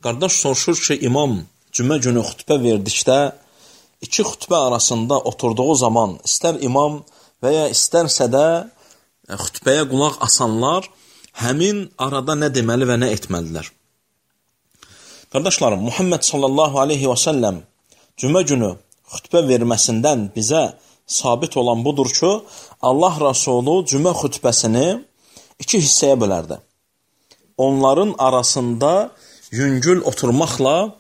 Qardaş soruşur ki, imam cümə günü xütbə verdikdə, iki xütbə arasında oturduğu zaman istər imam və ya istərsə də xütbəyə qulaq asanlar həmin arada nə deməli və nə etməlidirlər? Qardaşlarım, Muhammed sallallahu aleyhi və səlləm cümə günü xütbə verməsindən bizə sabit olan budur ki, Allah Rasulü cümə xütbəsini iki hissəyə bölərdi. Onların arasında yüngül oturmaqla,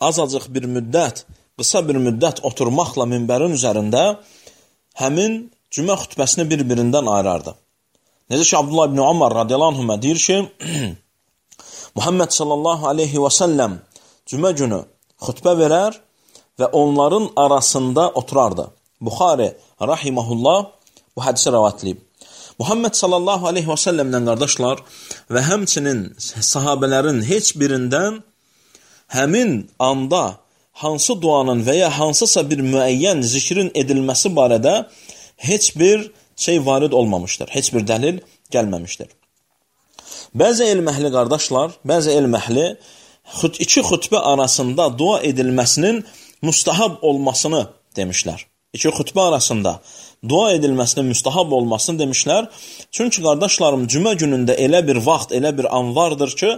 azacıq bir müddət, qısa bir müddət oturmaqla minbərin üzərində həmin cümə xütbəsini bir-birindən ayırardı. Necə ki, Abdullah ibn Umar radiyallahu anhümə deyir ki, Muhammed sallallahu aleyhi və səlləm cümə günü xütbə verər və onların arasında oturardı. Buxari rahiməhullah bu hədisi rəvayatləyib. Muhammed sallallahu aleyhi və səlləmdən qardaşlar və həmçinin sahabələrin heç birindən həmin anda hansı duanın və ya hansısa bir müəyyən zikrin edilməsi barədə heç bir şey varid olmamışdır, heç bir dəlil gəlməmişdir. Bəzi elm əhli qardaşlar, bəzi elm əhli iki xütbə arasında dua edilməsinin müstahab olmasını demişlər. İki xütbə arasında dua edilməsinin müstahab olmasını demişlər. Çünki qardaşlarım, cümə günündə elə bir vaxt, elə bir an vardır ki,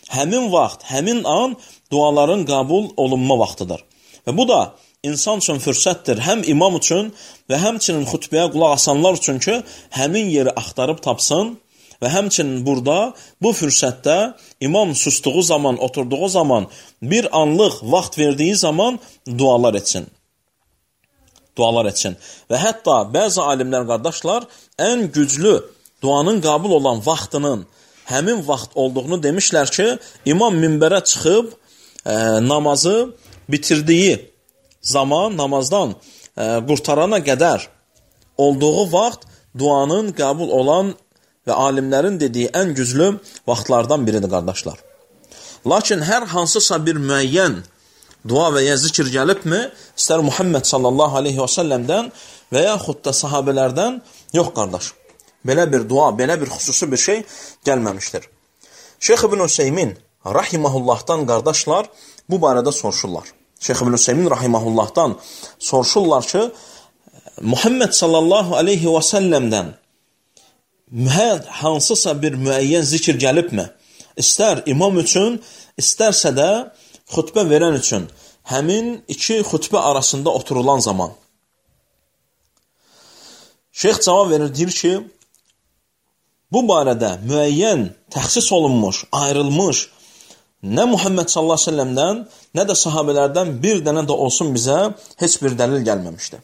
həmin vaxt, həmin an duaların qəbul olunma vaxtıdır. Və bu da insan üçün fürsətdir, həm imam üçün və həmçinin xütbəyə qulaq asanlar üçün ki, həmin yeri axtarıb tapsın və həmçinin burada, bu fürsətdə imam sustuğu zaman, oturduğu zaman, bir anlıq vaxt verdiyi zaman dualar etsin. Dualar etsin. Və hətta bəzi alimlər qardaşlar ən güclü duanın qəbul olan vaxtının həmin vaxt olduğunu demişlər ki, imam minbərə çıxıb namazı bitirdiyi zaman, namazdan qurtarana qədər olduğu vaxt duanın qəbul olan və alimlərin dediyi ən güclü vaxtlardan biridir qardaşlar. Lakin hər hansısa bir müəyyən dua və ya zikr gəlibmi, istər Muhammed sallallahu aleyhi və səlləmdən və yaxud da sahabələrdən, yox qardaş. Belə bir dua, belə bir xüsusi bir şey gəlməmişdir. Şeyx İbn Hüseymin rahiməhullahdan qardaşlar bu barədə soruşurlar. Şeyx İbn Hüseymin rahiməhullahdan soruşurlar ki, Muhammed sallallahu aleyhi və səlləmdən hansısa bir müəyyən zikr gəlibmi? İstər imam üçün, istərsə də xütbə verən üçün həmin iki xütbə arasında oturulan zaman. Şeyx cavab verir, deyir ki, bu barədə müəyyən təxsis olunmuş, ayrılmış nə Muhammed sallallahu aleyhi ve sellemdən, nə də sahabələrdən bir dənə də olsun bizə heç bir dəlil gəlməmişdir.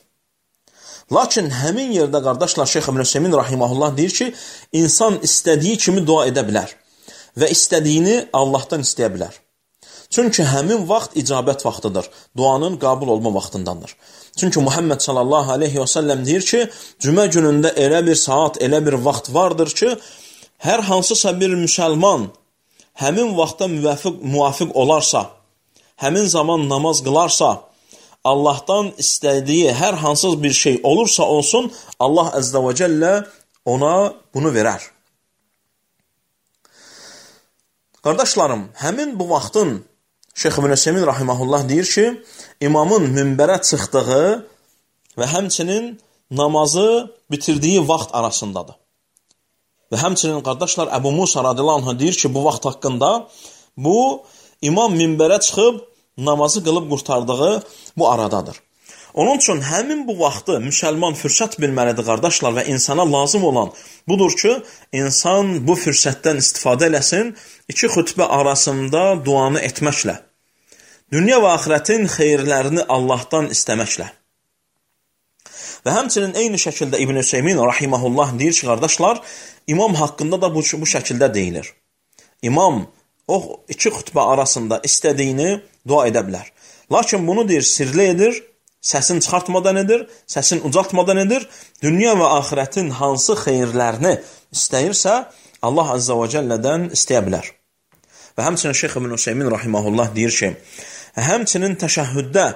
Lakin həmin yerdə qardaşlar Şeyx İbn Hüseymin rahiməhullah deyir ki, insan istədiyi kimi dua edə bilər və istədiyini Allahdan istəyə bilər. Çünki həmin vaxt icabət vaxtıdır, duanın qəbul olma vaxtındandır. Çünki Muhammed sallallahu aleyhi və səlləm deyir ki, cümə günündə elə bir saat, elə bir vaxt vardır ki, hər hansısa bir müsəlman həmin vaxta müvafiq olarsa, həmin zaman namaz qılarsa, Allahdan istədiyi hər hansız bir şey olursa olsun, Allah əzdə və cəllə ona bunu verər. Qardaşlarım, həmin bu vaxtın Şeyx İbn Hüseymin rahiməhullah deyir ki, imamın minbərə çıxdığı və həmçinin namazı bitirdiyi vaxt arasındadır. Və həmçinin qardaşlar Əbu Musa radiyallahu anh deyir ki, bu vaxt haqqında bu imam minbərə çıxıb namazı qılıb qurtardığı bu aradadır. Onun üçün həmin bu vaxtı müsəlman fürsət bilməlidir qardaşlar və insana lazım olan budur ki, insan bu fürsətdən istifadə eləsin, iki xütbə arasında duanı etməklə, dünya və axirətin xeyirlərini Allahdan istəməklə. Və həmçinin eyni şəkildə İbn Hüseymin rahiməhullah deyir ki, qardaşlar, imam haqqında da bu şəkildə deyilir. İmam o iki xütbə arasında istədiyini dua edə bilər. Lakin bunu deyir, sirli edir, səsini çıxartmadan edir, səsini ucaltmadan edir, dünya və axirətin hansı xeyirlərini istəyirsə, Allah Azza və Cəllədən istəyə bilər. Və həmçinin Şeyx İbn Hüseymin rahiməhullah deyir ki, həmçinin təşəhhüddə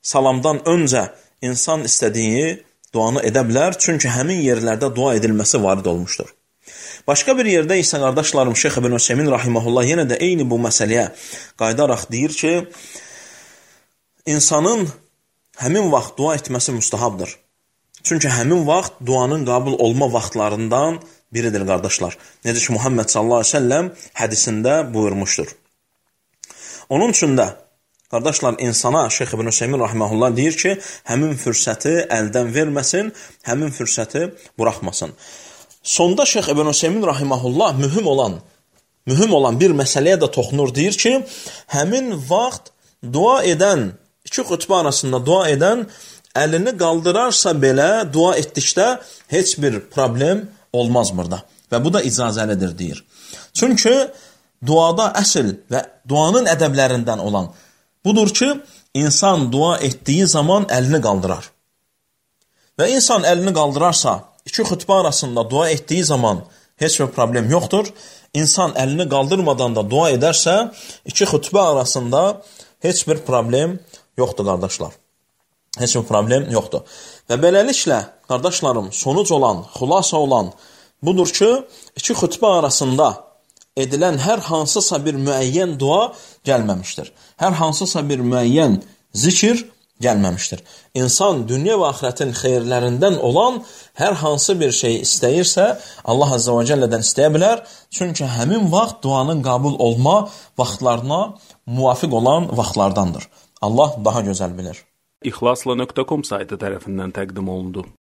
salamdan öncə insan istədiyi duanı edə bilər, çünki həmin yerlərdə dua edilməsi varid olmuşdur. Başqa bir yerdə isə qardaşlarım Şeyx İbn Üseymin rahimehullah yenə də eyni bu məsələyə qayıdaraq deyir ki, insanın həmin vaxt dua etməsi müstahabdır. Çünki həmin vaxt duanın qəbul olma vaxtlarından biridir, qardaşlar. Necə ki, Muhammed sallallahu aleyhi ve sellem hədisində buyurmuşdur. Onun üçün də, qardaşlar, insana Şeyx İbn Üseymin rahimehullah deyir ki, həmin fürsəti əldən verməsin, həmin fürsəti buraxmasın. Sonda Şeyx İbn Üseymin rahimehullah mühüm olan bir məsələyə də toxunur, deyir ki, həmin vaxt dua edən, iki xütbə arasında dua edən əlini qaldırarsa belə dua etdikdə heç bir problem olmaz burada. Və bu da icazəlidir, deyir. Çünki duada əsl və duanın ədəblərindən olan budur ki, insan dua etdiyi zaman əlini qaldırar. Və insan əlini qaldırarsa, iki xütbə arasında dua etdiyi zaman heç bir problem yoxdur. İnsan əlini qaldırmadan da dua edərsə, iki xütbə arasında heç bir problem yoxdur, qardaşlar. Heç bir problem yoxdur. Və beləliklə, qardaşlarım, sonuc olan, xulasa olan budur ki, iki xütbə arasında edilən hər hansısa bir müəyyən dua gəlməmişdir. Hər hansısa bir müəyyən zikir gəlməmişdir. İnsan dünya və axirətin xeyirlərindən olan hər hansı bir şey istəyirsə, Allah Azza və Cəllədən istəyə bilər. Çünki həmin vaxt duanın qəbul olma vaxtlarına muvafiq olan vaxtlardandır. Allah daha gözəl bilir. İxlasla.com saytı tərəfindən təqdim olundu.